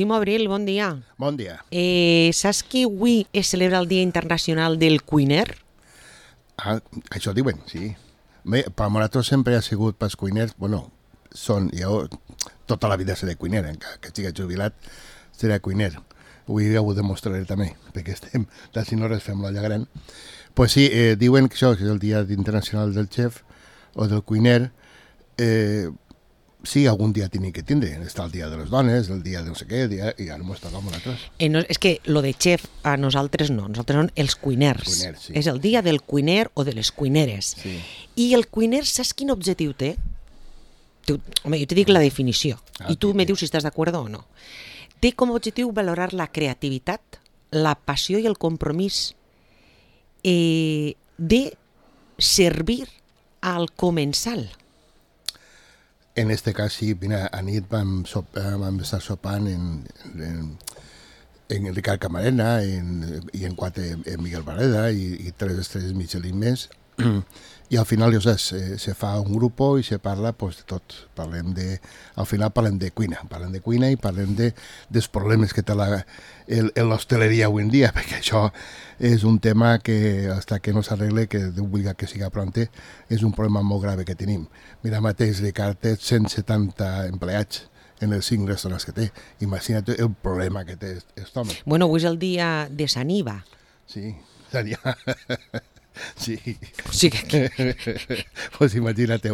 Ximo Abril, bon dia. Bon dia. Saps que avui es celebra el Dia Internacional del Cuiner? Ah, això diuen, sí. Bé, per nosaltres sempre ha sigut pels cuiners, bueno, jo tota la vida seré cuiner, encara que estigui jubilat, seré cuiner. Avui ja ho demostraré també, perquè estem, de si no res fem l'olla gran. Pues sí, diuen que això és el Dia Internacional del Chef o del cuiner. Sí, algun dia tiene que tindre. Està el dia de les dones, el dia de no sé què, i ara m'ho està com nosaltres. No, és que lo de chef a nosaltres no, nosaltres són els cuiners. Sí. És el dia del cuiner o de les cuineres. Sí. I el cuiner, saps quin objectiu té? Home, jo te dic la definició, i tu me dius si estàs d'acord o no. Té com a objectiu valorar la creativitat, la passió i el compromís de servir al comensal. En este cas, sí, mira, a nit vam estar sopant en Ricard Camarena i en Miguel Barreda i 3 estrelles Michelin més. I al final, ja saps, se fa un grup i se parla pues, de tot. Al final parlem de cuina i parlem dels problemes que té l'hostaleria avui en dia, perquè això és un tema que, fins que no s'arregle, que Déu vulgui que siga pronte, és un problema molt grave que tenim. Mira mateix, Ricard té 170 empleats en els 5 restaurants que té. Imagina't el problema que té aquest home. Bueno, avui és el dia de Sant Iva. Sí, seria... Sí. O sigui que... Pues imagina't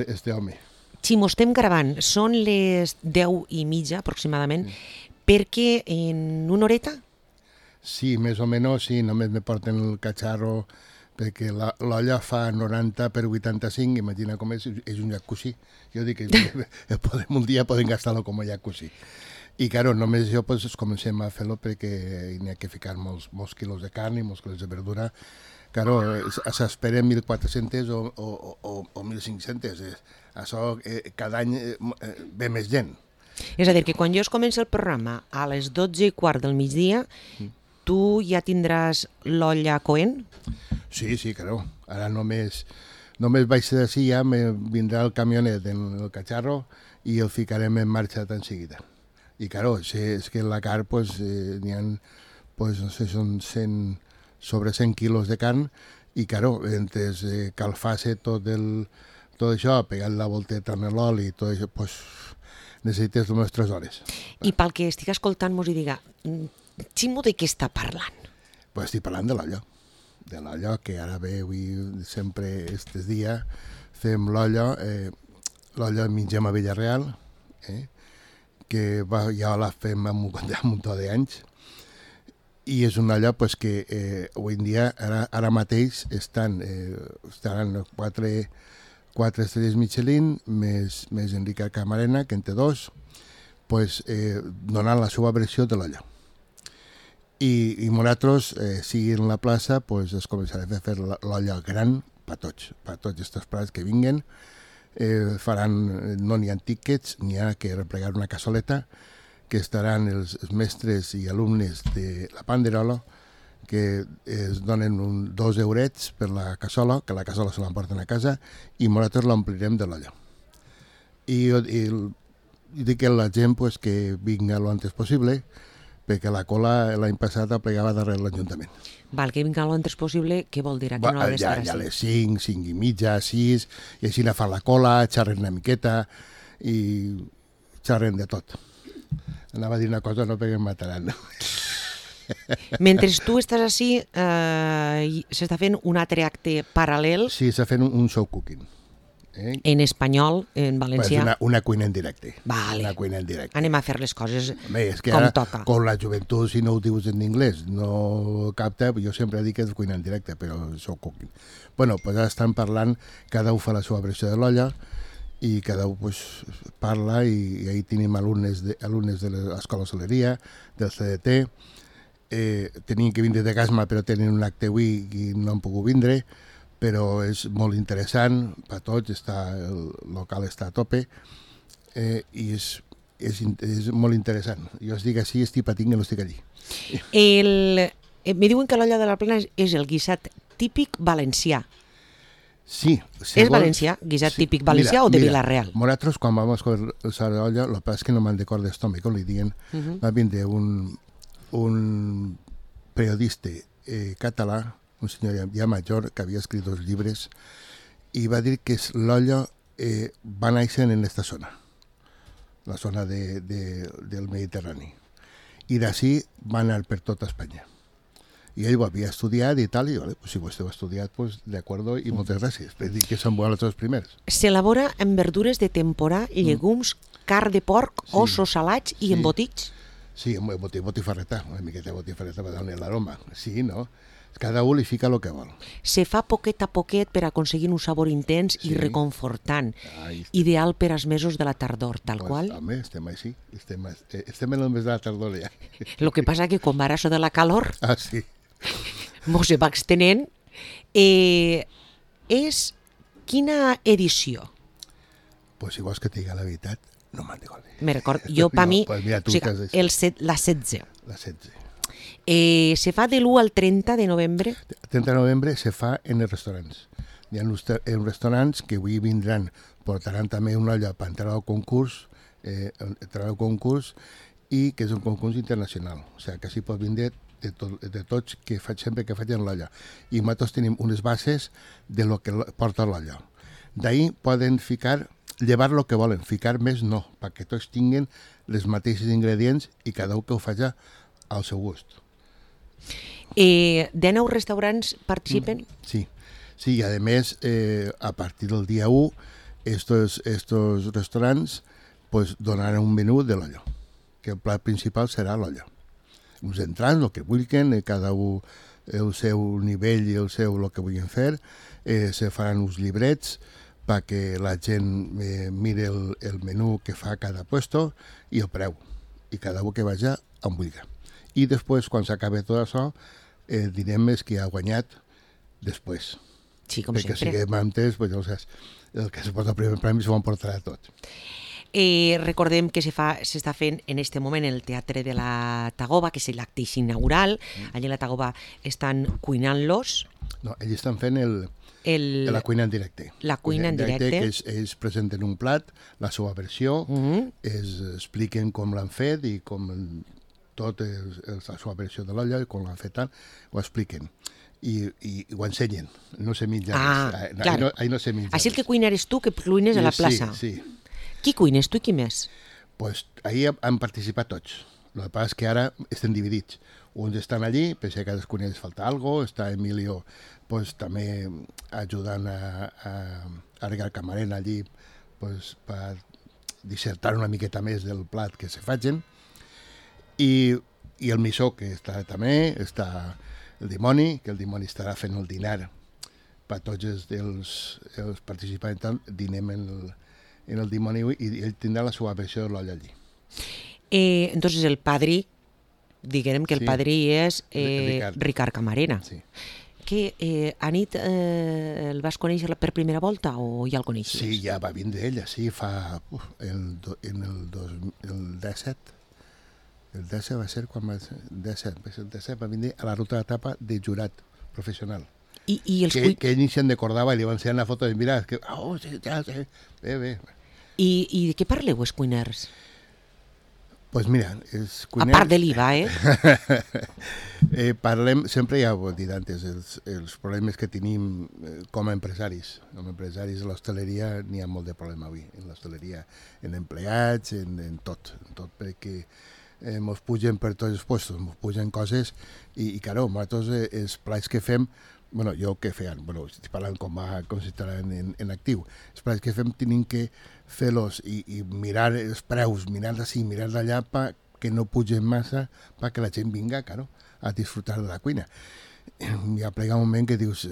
este home. Ximo, estem gravant, són les 10:30 aproximadament, perquè en una horeta? Sí, més o menys, sí, només me porten el catxarro, perquè l'olla fa 90 per 85, imagina com és un jacuzzi. Jo dic que un dia podem gastar-lo com a jacuzzi. I, claro, només jo pues, comencem a fer-lo perquè hi ha que ficar molts quilos de carn i molts quilos de verdura. Claro, s'esperen 1.400 o 1.500. Això cada any ve més gent. És a dir, que quan jo es comença el programa a les 12:15 del migdia, tu ja tindràs l'olla coent? Sí, claro. Ara només vaig ser d'ací, ja me vindrà el camionet en el catxarro i el ficarem en marxa tan seguida. I, claro, és que en la carn n'hi ha, no sé, són sobre 100 quilos de carn i, claro, entre calfar-se tot això, pegar la volteta en l'oli i tot això, necessites unes 3 hores. I pel que estic escoltant mos hi diga, Ximo, de què està parlant? Estic parlant de l'olla, que ara ve avui, sempre estes dies, fem l'olla mengem a Villarreal, que ja la fem amb un munt d'anys, i és una olla que avui en dia, ara mateix, estaran 4 estrelles Michelin, més en Ricard Camarena, que en té 2, donant la seva versió de l'olla. I nosaltres, si en la plaça, es començarem a fer l'olla gran per tots aquests plats que vinguen. No n'hi ha tíquets, n'hi ha que replegar una cassoleta, que estaran els mestres i alumnes de la Panderola, que es donen 2 eurets per la cassola, que la cassola se l'emporten a casa, i nosaltres l'omplirem de l'olla. I dic a la gent que vinga lo antes possible, perquè la cola l'any passat aplegava darrere l'Ajuntament. Val, que vinga lo antes possible, què vol dir? Aquí no ha d'estar així? Ja a les 5, 5:30, 6, i així fan la cola, xerren una miqueta, i xerren de tot. Anava a dir una cosa, no, perquè em mataran. Mentre tu estàs així, s'està fent un altre acte paral·lel. Sí, s'està fent un show cooking. En espanyol, en valencià. Una cuina en directe. Vale. Una cuina en directe. Anem a fer les coses és que com ara, toca. Con la joventut, si no ho dius en anglès, no capta. Jo sempre dic que és cuina en directe, però show cooking. Bueno, ara estan parlant, cada un fa la seva versió de l'olla, i cada un parla, i ahí tenim alumnes de l'Escola Hostaleria, del CDT, tenien que vindre de Gasma, però tenen un acte avui i no han pogut vindre, però és molt interessant per tots, el local està a tope, i és molt interessant. Jo estic així, estic patint que no estic allí. Me diuen que l'olla de la Plana és el guisat típic valencià. Sí. És valencià? Guisat típic valencià o de Vila-real? Nosaltres, quan vam escoltar l'olla, el que passa és que no me'n recordo d'estòmac, li diuen, va vindre un periodista català, un senyor ja major, que havia escrit 2 llibres, i va dir que l'olla va néixer en aquesta zona, la zona del Mediterrani. I d'ací va anar per tota Espanya. I ell ho havia estudiat i tal, i vale, pues, si vostè ho ha estudiat, pues, de acuerdo, i moltes gràcies. Per dir que són bons els primers. S'elabora amb verdures de temporada, llegums, carn de porc, ossos salats i embotits? Sí, botifarreta, una miqueta de botifarreta per donar l'aroma. Sí, no? Cada un li fica el que vol. Se fa poquet a poquet per aconseguir un sabor intens i reconfortant. Ideal per als mesos de la tardor, tal qual. Home, estem així. Estem en el mes de la tardor ja. El que passa que quan va això de la calor... Ah, sí. Mos se va extenent. És quina edició? Pues si vols que te diga la veritat, no me'n recordo. Me record, jo per mi, pues mira, o sigui, la 16. La 16. Se fa de l'1 al 30 de novembre? El 30 de novembre se fa en els restaurants. Hi ha uns restaurants que avui vindran, portaran també una olla per entrar al concurs, i que és un concurs internacional. O sigui, que s'hi pot vindre de tots que sempre que facin l'olla. I nosaltres tenim unes bases de lo que porta l'olla. D'ahir poden llevar el que volen, ficar més no, perquè tots tinguin les mateixes ingredients i cada un que ho faci al seu gust. 19 restaurants participen? Sí, i a més, a partir del dia 1, estos restaurants pues, donaran un menú de l'olla, que el plat principal serà l'olla. Uns entrants, el que vulguin, cada un el seu nivell i el que vulguin fer, se faran uns llibrets perquè la gent mire el menú que fa cada puesto i el preu, i cada un que vagi on vulgui. I després, quan s'acabi tot això, direm més qui ha guanyat després. Sí, com perquè sempre. Perquè si siguem antes, pues, el que se porta el primer premi s'ho emportarà tot. Recordem que s'està fent en aquest moment el Teatre de la Tagoba, que és l'acte inaugural. Allà a la Tagoba estan cuinant-los. No, ells estan fent la cuina en directe. La cuina en directe. Que ells presenten un plat, la seva versió, expliquen com l'han fet i com tot la seva versió de l'olla, com l'han fet tant, ho expliquen. I ho ensenyen, no se menja res. Clar. No se menja Així el que cuina eres tu, que cuines a la plaça. Sí. Qui cuines, tu i qui més? Pues ahir han participat tots. El que passa és que ara estem dividits. Uns estan allí, pensa que a cadascun els falta alguna cosa, està Emilio pues, també ajudant a Regar Camarena allí pues, per dissertar una miqueta més del plat que se facin. I el Missó, que està també, està el Dimoni, que el Dimoni estarà fent el dinar per tots els participants, dinem en el Dimoni i ell tindrà la seva versió de l'olla allí. Entonces el padrí, diguem que el padrí és Ricard Camarena. Sí. Que Anit el vas conèixer per primera volta o ja el coneixies? Sí, ja va vindre ella, sí, fa en el 17. El 17 va ser quan va ser, el 17 va vindre a la ruta d'etapa de jurat professional. I els que ell ni se'n recordava i li van ensenyar una foto i mira, que, sí, ja, sí, bé. I de què parleu, els cuiners? Pues mira, els cuiners... A part de l'IVA, parlem, sempre ja ho he dit antes, els problemes que tenim com a empresaris. Com a empresaris de l'hostaleria n'hi ha molt de problema avui, en l'hostaleria, en empleats, en tot, perquè ens pugen per tots els puestos, ens pugen coses i claro, nosaltres els plats que fem, bueno, jo què feien? Bueno, estic parlant com si estaran en actiu. Els plats que fem tenim que fer-los i mirar els preus, mirar d'ací, mirar d'allà perquè no pugen massa, perquè la gent vinga, claro, a disfrutar de la cuina. Hi ha plega un moment que dius,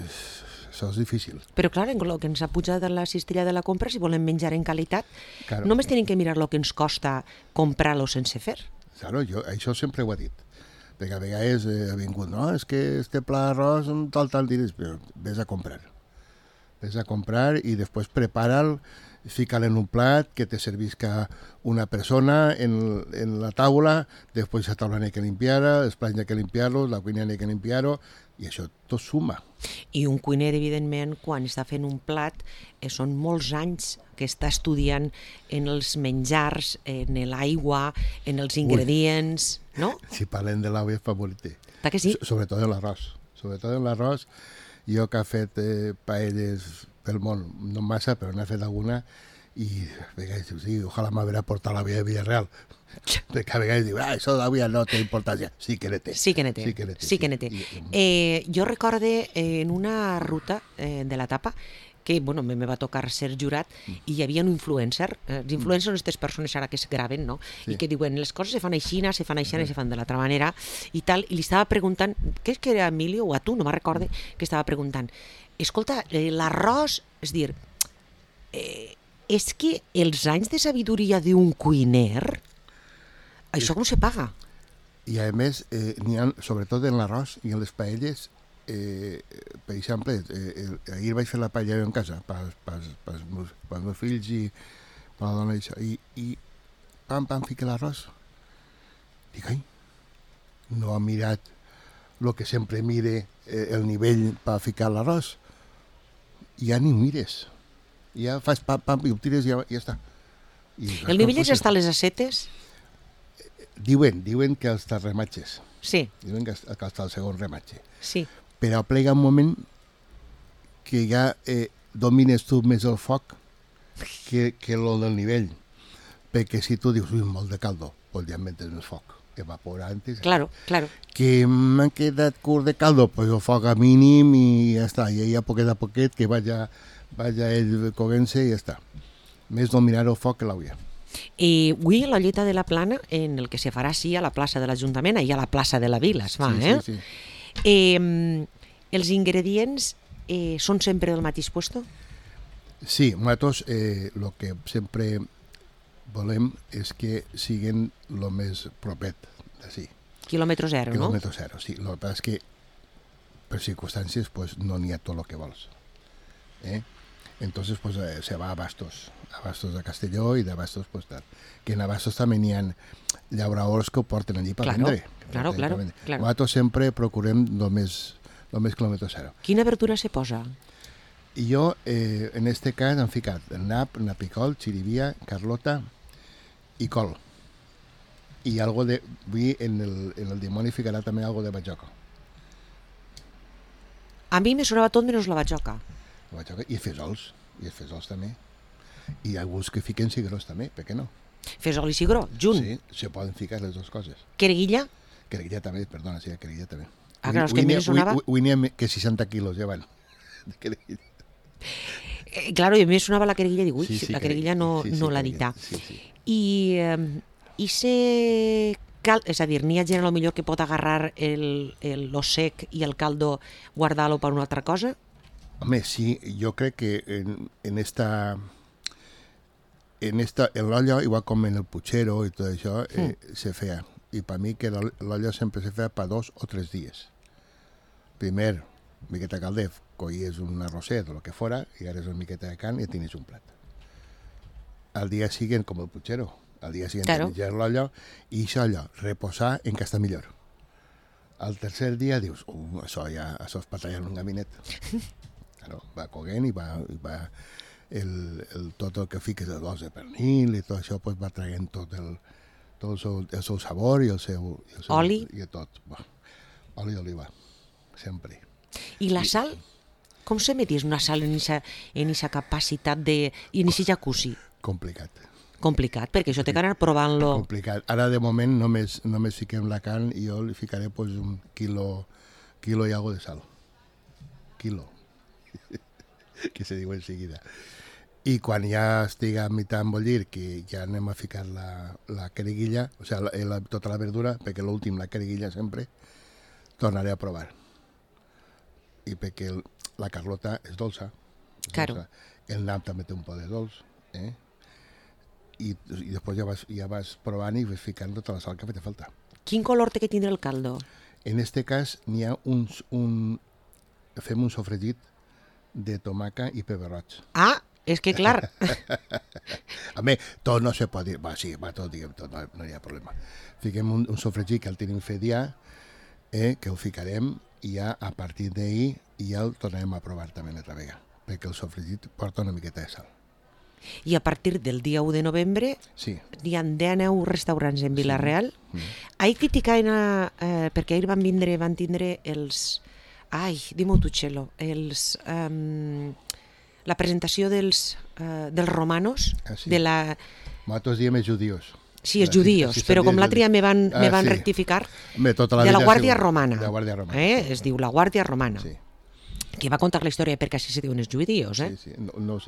això és difícil. Però clar, en el que ens ha pujat la cistella de la compra, si volem menjar en qualitat, claro. Només tenim que mirar el que ens costa comprar-lo sense fer. Claro, jo això sempre ho he dit. Perquè a vegades ha vingut, no, és que este pla d'arròs amb tal diners, però vés a comprar. ves a comprar y después prepáralo, fícalo en un plat que te servisca una persona en la taula, després la taula n'hi ha que limpiar-la, els plats n'hi ha que limpiar-los, la cuina n'hi ha que limpiar-ho, i això tot suma. I un cuiner, evidentment, quan està fent un plat, són molts anys que està estudiant en els menjars, en l'aigua, en els ingredients, no? Si parlem de l'aigua és favorita. Que sí? Sobretot en l'arròs. Sobretot en l'arròs, jo que he fet paelles pel món, no massa, però n'he fet alguna, i a vegades dius, sí, ojalà m'haver portat la via de Villarreal. Perquè a vegades diu, això de la via no té importància. Sí que ne té. Sí que ne té. Jo recorde en una ruta de l'etapa que bueno, me va tocar ser jurat i hi havia un influencer. Els influencers són aquestes persones ara que es graven, no? I que diuen, les coses se fan així, se fan de l'altra manera i tal, i li estava preguntant, què és que era Emilio o a tu, no me'n recorde, que estava preguntant, escolta, l'arròs, és dir, és que els anys de sabidoria d'un cuiner, això com se paga? I a més, n'hi ha, sobretot en l'arròs i en les paelles, per exemple, ahir vaig fer la paella en casa pels meus fills i per la dona i pam, fica l'arròs. Dic, ai, no ha mirat el que sempre mire el nivell per ficar l'arròs. Ja ni ho mires. Ja fas pam, i ho tires i ja està. El nivell és estar a les acetes? Diuen que els rematges. Sí. Diuen que està el segon rematge. Sí. Però plega un moment que ja domines tu més el foc que el del nivell. Perquè si tu dius, molt de caldo, pues ja metes més foc, evapora antes. Claro. Que m'ha quedat curt de caldo, pues el foc a mínim i ja està. I ja poquet a poquet que vaya ell coguent-se i ja està. Més dominar el foc que l'auia. I avui a la Lloeta de la Plana, en el que se farà sí a la plaça de l'Ajuntament, i a la plaça de la Vila es fa, Sí. Els ingredients són sempre del mateix puesto? Sí, nosaltres el que sempre volem és que siguin el més propet d'ací. Quilòmetre zero, no? Quilòmetre zero, sí. El que passa és que per circumstàncies pues, no n'hi ha tot el que vols. Entonces pues, se va a Bastos de Castelló i de Bastos pues, tal. Que en Bastos també n'hi ha llauradors que ho porten allí per vendre. Claro. Nosaltres sempre procurem el més quilòmetre zero. Quina verdura se posa? I jo, en este cas, han ficat nap, napicol, xirivia, carlota i col. I algo de... En el dimoni ficarà també algo de batxoca. A mi me sonava tot menys la batxoca. I fesols també. I alguns que fiquen cigrons també, per què no? Fesol i cigró, junt? Sí, se poden ficar les dues coses. Quereguilla? Quereguilla també, perdona, sí, quereguilla també. Clar, és que a mi me sonava... Avui n'hi ha que 60 quilos ja van. Claro, a mi me sonava la quereguilla, dic, ui, la quereguilla no l'ha dit. Sí. I se... És a dir, n'hi ha gent millor que pot agarrar lo sec i el caldo, guardar-lo per una altra cosa? Home, sí, jo crec que en l'olla, igual com en el puchero i tot això, se feia. I per mi que l'olla sempre se feia per 2 o 3 dies. Primer, miqueta calder, collies un arrosset o el que fora, i agarres una miqueta de carn i tenies un plat. Al dia siguiente, com el puchero, al dia siguiente menjar l'olla i això allò, reposar en que està millor. Al tercer dia dius, això és per tallar un gabinet. Claro, va coguent i va tot el que fiques de dos de pernil i tot això pues, va traient tot el seu sabor i el seu oli i tot. Oli d'oliva, sempre. I la sal? Com se meties una sal en aquesta capacitat i en aquest jacuzzi? Complicat, perquè això té que anar provant-lo. Complicat. Ara, de moment, només fiquem la carn i jo li ficaré pues, un quilo i algo de sal. Quilo. Que se diu enseguida. I quan ja estiga a mitjà embullir, que ja anem a ficar la quereguilla, o sigui, tota la verdura, perquè l'últim, la quereguilla sempre, tornaré a provar. I perquè la carlota és dolça. Claro. El nap també té un poc de dolç. I després ja vas provant i vas ficant tota la sal que fa falta. Quin color té que tindre el caldo? En este cas n'hi ha fem un sofregit de tomaca i pebre roig. Ah, és que clar, A més, tot no se pot dir. Va, sí, va, tot, diguem, tot, no hi ha problema. Fiquem un sofregit que el tenim fet ja, que el ficarem i ja a partir d'ahir ja el tornarem a provar també una altra vegada, perquè el sofregit porta una miqueta de sal. i a partir del dia 1 de novembre Sí. hi ha 19 restaurants en Vila-real. Ahir criticaven, perquè ahir van tindre els... Ai, dime-ho tu, Txelo. La presentació dels romanos, Ah, sí? de la... Nosaltres diem els judios. Sí, els judíos, però com l'altre dia me van sí. rectificar, Bé, tota la de la vida ha Guàrdia sigut Romana. De la Guàrdia Romana. Es diu la Guàrdia Romana. Sí, Que va contar la història perquè així se diuen els judíos, sí, sí. No.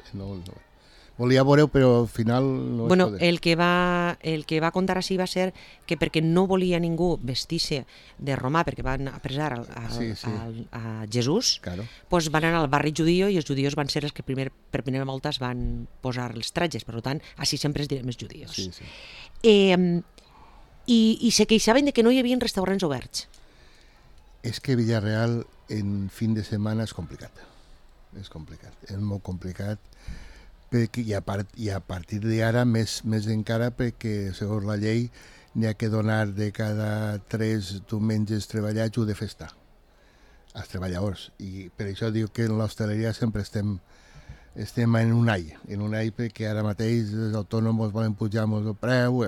Volia veure, però al final no Bueno, es poder. el que va contar així va ser que perquè no volia ningú vestir-se de romà, perquè van apresar Sí. a Jesús, Claro. doncs van anar al barri judio i els judios van ser els que per primera volta es van posar els tratges, per tant, així sempre es direm els judios. Sí, sí. I se queixaven de que no hi havia restaurants oberts. És que Villarreal en fin de setmana és complicat. És complicat, és molt complicat perquè, i a partir d'ara més encara perquè segons la llei n'hi ha que donar de cada 3 diumenges treballats o de festa als treballadors, i per això diu que en l'hostaleria sempre estem en un all perquè ara mateix els autònoms volen pujar-nos el preu,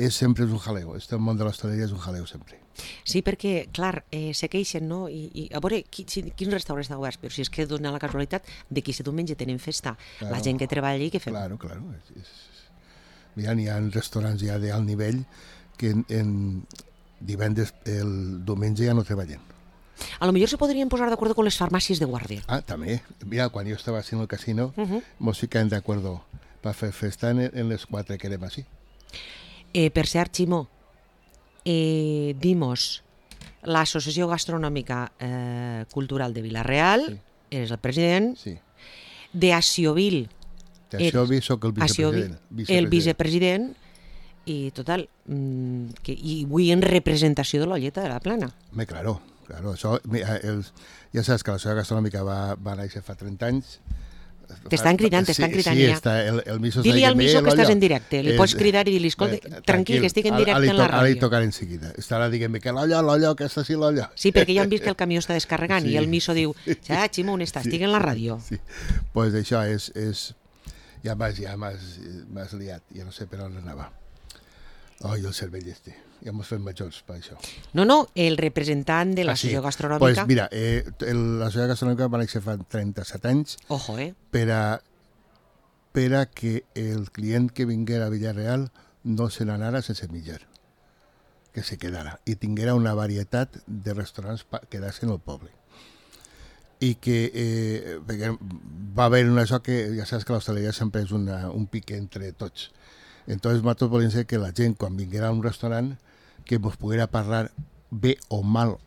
sempre és un jaleo, el món de l'hostaleria és un jaleo sempre. Sí, perquè, clar, se queixen, no? I a veure, quins restaurants estan oberts? Però si és que dona la casualitat de que aquest diumenge tenen festa, Claro. la gent que treballa allí, què fem? Claro. Mira, n'hi ha restaurants ja d'alt nivell que en divendres, el diumenge ja no treballen. A lo millor se podrien posar d'acord con les farmàcies de guàrdia. Ah, també. Mira, quan jo estava haciendo el casino, mos ficaven de acuerdo para fer festa en les 4 que érem així. Per cert, Ximó, dimos l'Associació Gastronòmica Cultural de Vila-real, eres el president, Sí. de Aciovil, D'això soc el vicepresident. el vicepresident, i total, i avui en representació de l'Olleta de la Plana. Claro. Això, mira, ja saps que l'Associació Gastronòmica va néixer fa 30 anys. T'estan cridant Sí, ja. el Miso Dili al Miso que estàs en directe, li És- pots cridar i dir-li, escolta, tranquil, que estic en directe en la Ara li ràdio. tocaré en seguida. Estarà dient que l'ollo, que està sí l'ollo. Sí, perquè ja han vist que el camió està descarregant Sí. i el Miso diu, Ximó, on estàs? Estic en la ràdio. Sí, pues això és... Ja m'has liat, ja no sé per on anava. Ai, el cervell este. Ja mos fem majors per això. No, el representant de l'Associació Gastronòmica... Pues mira, l'Associació Gastronòmica va néixer fa 37 anys Ojo, per a que el client que vinguera a Villarreal no se n'anara sense mitjar, que se quedara i tinguera una varietat de restaurants que quedassen al poble. I que perquè va haver això que ja saps que l'hostaleria sempre és un pique entre tots. Entonces nosaltres volíem ser que la gent quan vinguera a un restaurant que ens poguera parlar bé o mal,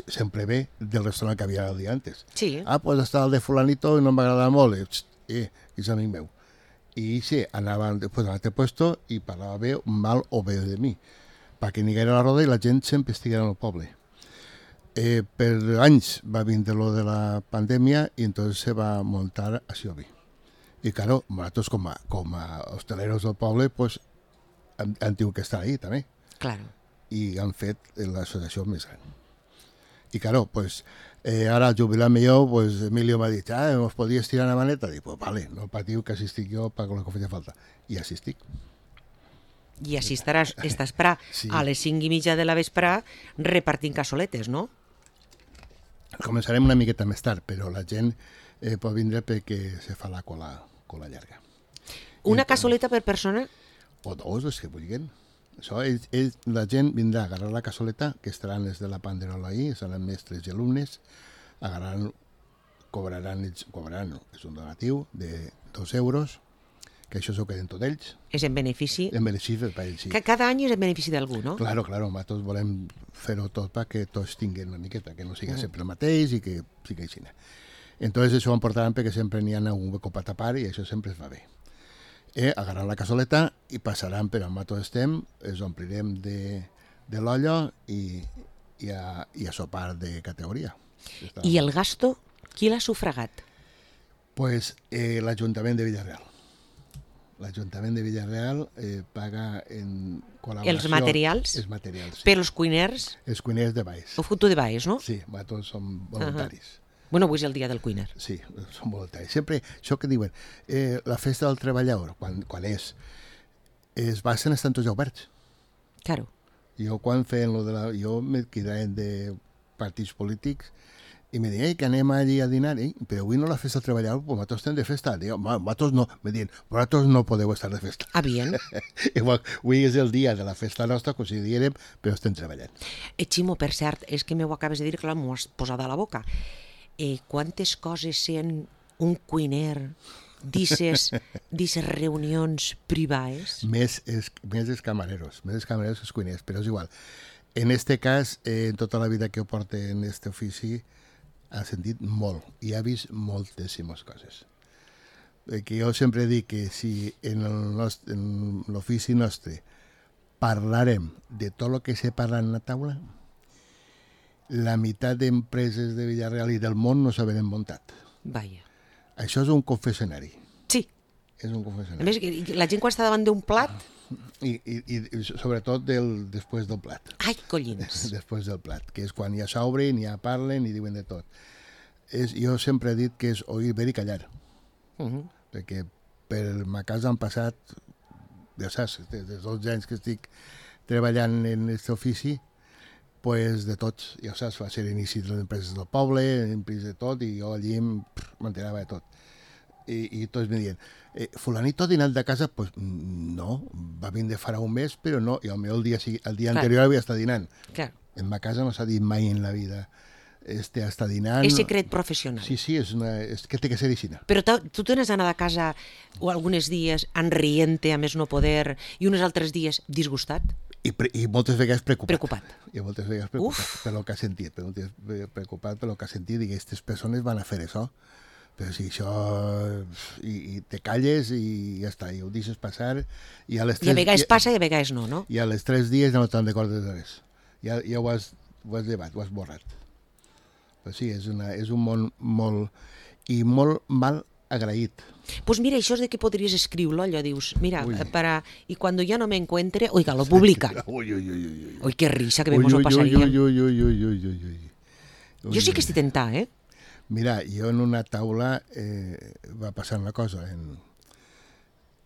sempre bé, del restaurant que havia el dia antes. Sí. Pues està el de fulanito i no m'agrada molt. És amic meu. I sí, anava després a l'altre puesto i parlava bé, mal o bé de mi, perquè n'hi haguera la roda i la gent sempre estiguera en el poble. Per anys va vindre lo de la pandèmia i entonces se va muntar a Siobi. I claro, nosaltres com a hosteleros del poble pues, han tingut que estar ahí també. Claro. I han fet l'associació més gran. I claro, pues, ara al jubilar-me jo, pues, Emilio m'ha dit, ¿os podías tirar una maneta? Dic, pues vale, no patiu que assistic jo per lo que feia falta. I assistic. I així estàs pra, Sí. a les 5:30 de la vesprà repartint cassoletes, no? Començarem una miqueta més tard, però la gent pot vindre perquè se fa la cola llarga. Una cassoleta per persona? O dos, els que vulguin. Això la gent vindrà a agarrar la cassoleta, que estaran els de la Panderola ahí, seran mestres i alumnes, cobraran, és un donatiu de 2 euros, que això s'ho queden tots ells. És en benefici... En benefici per ells, sí. Cada any és en benefici d'algú, no? Claro, nosaltres volem fer-ho tot perquè tots tinguin una miqueta, que no sigui sempre el mateix i que sigui així. Entonces això ho emportaran perquè sempre n'hi ha algun hueco per tapar i això sempre es va bé. Agarrar la cassoleta i passaran per on nosaltres estem, els omplirem de l'ollo i a sopar de categoria. I el gasto, Qui l'ha sufragat? Pues l'Ajuntament de Villarreal. L'Ajuntament de Villarreal paga en col·laboració... Els materials? Els materials, sí. Per els cuiners? Els cuiners de Baix. Ho foto de baix, no? Sí, tots són voluntaris. Bueno, avui és el dia del cuiner. Sí, són voluntaris. Sempre, això que diuen, la festa del treballador, quan és, es basen estan tots oberts. Claro. Jo quan feien lo de la... Jo me quedaven de partits polítics i me deien que anem allí a dinar, però avui no la festa del treballador, pues nosaltres estem de festa. Dic, nosaltres no, me diuen, vosaltres no podeu estar de festa. Ah, bien. Igual, avui és el dia de la festa nostra, com si diguérem, però estem treballant. Ximo, per cert, és que m'ho acabes de dir, clar, m'ho has posat a la boca. Quantes coses sent un cuiner d'ixes reunions privades? Més els camareros que els cuiners, però és igual. En este cas, en tota la vida que ho porta en este ofici, ha sentit molt i ha vist moltíssimes coses. Que jo sempre dic que si en l'ofici nostre parlarem de tot el que se parla en la taula, la meitat d'empreses de Villarreal i del món no s'haurien muntat. Vaja. Això és un confessionari. Sí. És un confessionari. A més, la gent quan està davant d'un plat... I sobretot després del plat. Ai, collins. Després del plat, que és quan ja s'obren, ja parlen i diuen de tot. Jo sempre he dit que és oir, ver i callar. Perquè per ma casa han passat, ja saps, des dels 12 anys que estic treballant en aquest ofici, pues de tots, ja saps, va ser l'inici de les empreses del poble, empreses de tot, i jo allí m'enterava de tot. I tots me diuen, fulanito ha dinat de casa? Pues no, va vindre farà un mes, però no, i el dia anterior havia estat dinant. Clar. En ma casa no s'ha dit mai en la vida està dinant. És secret professional. Sí, és que té que ser així. Però tu t'has anat a casa o alguns dies enrient-te, a més no poder, i uns altres dies disgustat? I moltes vegades Preocupat. I moltes vegades preocupat per el que ha sentit. Preocupat per el que ha sentit, i aquestes persones van a fer això. Però si això... I te calles i ja està, i ho deixes passar. I a vegades passa i a vegades no, no? I a les 3 dies ja no te'n recordes de res. Ja ho has llevat, ho has borrat. Però sí, és un món molt mal agraït. Pues mira, això és de que podries escriure-lo, allò dius, mira, y cuando ya no me encuentre, oiga, lo publican. Uy, qué risa, que bé mos ho passaríem. Jo sí que estic tentada, eh? Mira, jo en una taula va passar una cosa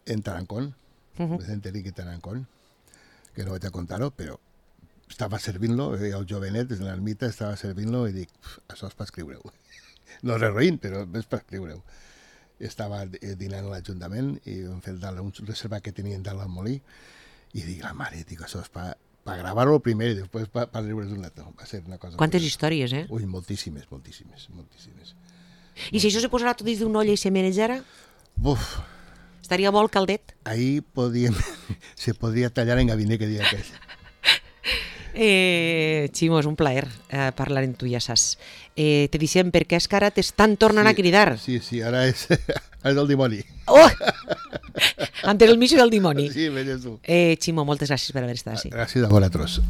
en Tarancón, Vicente Enrique Tarancón, que no vaig a contar-ho, però estava servint-lo, el jovenet, des de l'ermita, estava servint-lo i dic, això és per escriure-ho. No res roïn, però és per escriure-ho. Estava dinant a l'Ajuntament i vam fer un reservat que tenien dalt al molí i dic, la mare, dic, això és per gravar-ho primer i després per riure's un rato. Va ser una cosa... Quantes històries, eh? Ui, moltíssimes. I si això se posarà tot dins d'una olla i se menjara? Buf! Estaria bo el caldet? Ahí se podria tallar en gabinet, que diria aquell. Ximo, és un plaer parlar amb tu, ja saps. Te deixem perquè és que ara t'estan tornant a cridar. Sí, ara és el dimoni. Oh! Ante el misio del dimoni. Sí, veies tu. Ximo, moltes gràcies per haver estat així. Gràcies a vosaltres.